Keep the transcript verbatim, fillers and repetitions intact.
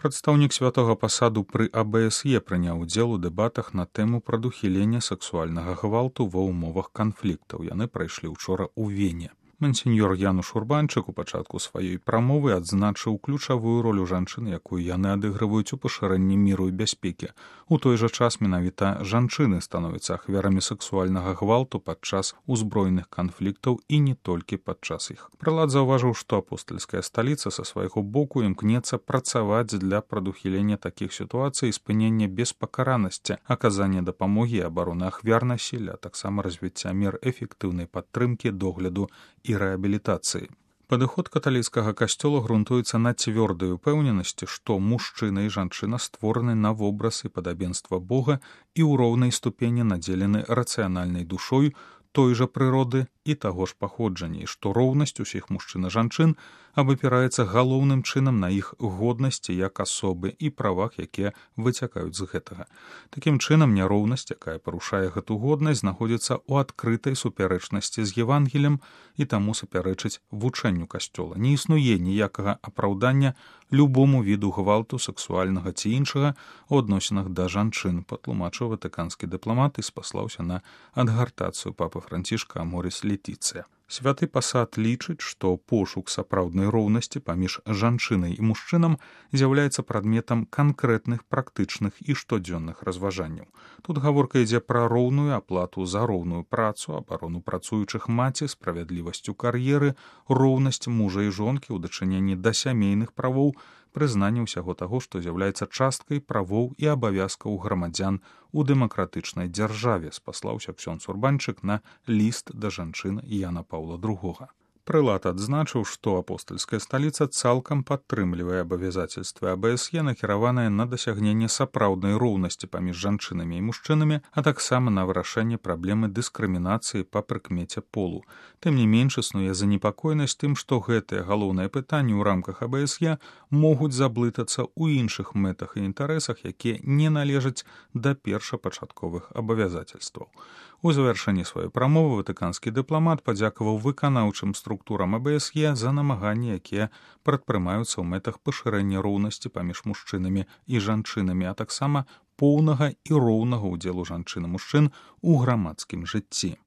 Прадстаўнік святога пасаду пры а бэ эс е прыняў удзел у дэбатах на тэму прадухілення сексуальнага гвалту ва ўмовах канфліктаў. Яны прайшлі ўчора ў Вене. Мансіньёр Януш Урбанчык у пачатку сваёй прамовы адзначыў ключавую ролю жанчын, якую яны адыгрываюць у пашырэнні міру і бяспекі. У той жа час менавіта жанчыны становяцца ахвярамі сексуальнага гвалту падчас узброеных канфліктаў і не толькі падчас іх. Прылад заўважыў, што апостальская сталіца са свайго боку імкнецца працаваць для прадухілення такіх сітуацый і спынення беспакаранасці, аказання дапамогі і абароны ахвяр насілля, а таксама развіцця мер эфектыўнай падтрымкі, догляду і рэабілітацыі. Падыход каталіцкага касцёла грунтуецца на цвёрдай упэўненасці, што мужчына і жанчына створаны на вобраз і падабенства Бога і ў роўнай ступені надзелены рацыянальнай душой той жа прыроды і таго ж паходжання, і што роўнасць усіх мужчын і жанчын абапіраецца галоўным чынам на іх годнасці як асобы і правах, якія выцякаюць з гэтага. Такім чынам, няроўнасць, якая парушае гэту годнасць, знаходзіцца ў адкрытай супярэчнасці з Евангелем і таму супярэчыць вучэнню касцёла. Не існуе ніякага апраўдання любому віду гвалту сексуальнага ці іншага ў адносінах да жанчын, патлумачыў ватыканскі дыпламат і спаслаўся на адгартацыю папы Францішка Аморіс Летіцыя. Святы пасад лічыць, што пошук сапраўднай роўнасці паміж жанчынай і мужчынам з'яўляецца прадметам канкрэтных практычных і штодзённых разважанняў. Тут гаворка ідзе пра роўную аплату за роўную працу, абарону працуючых маці, справядлівасць у кар'еры, роўнасць мужа і жонкі ў дачыненні да сямейных правоў, прызнанне ўсяго таго, што з'яўляецца часткай правоў і абавязкаў грамадзян у дэмакратычнай дзяржаве, спаслаўся ксёндз Урбанчык на ліст да жанчын Яна Паўла другога. Прылад адзначыў, што апостальская сталіца цалкам падтрымлівае абавязацельствы а бэ эс е, накіраванае на дасягненне сапраўднай роўнасці паміж жанчынамі і мужчынамі, а таксама на вырашэнне праблемы дыскрымінацыі па прыкмеце полу. Тым не менш існуе занепакоенасць тым, што гэтыя галоўныя пытанні ў рамках а бэ эс е могуць заблытацца ў іншых мэтах і інтарэсах, якія не належаць да першапачатковых абавязацельстваў. У завяршэнні сваёй прамовы ватыканскі дыпламат падзякаваў выканаўчым структурам а бэ эс е за намаганні, якія прадпрымаюцца ў мэтах пашырэння роўнасці паміж мужчынамі і жанчынамі, а таксама поўнага і роўнага ўдзелу жанчын і мужчын у грамадскім жыцці.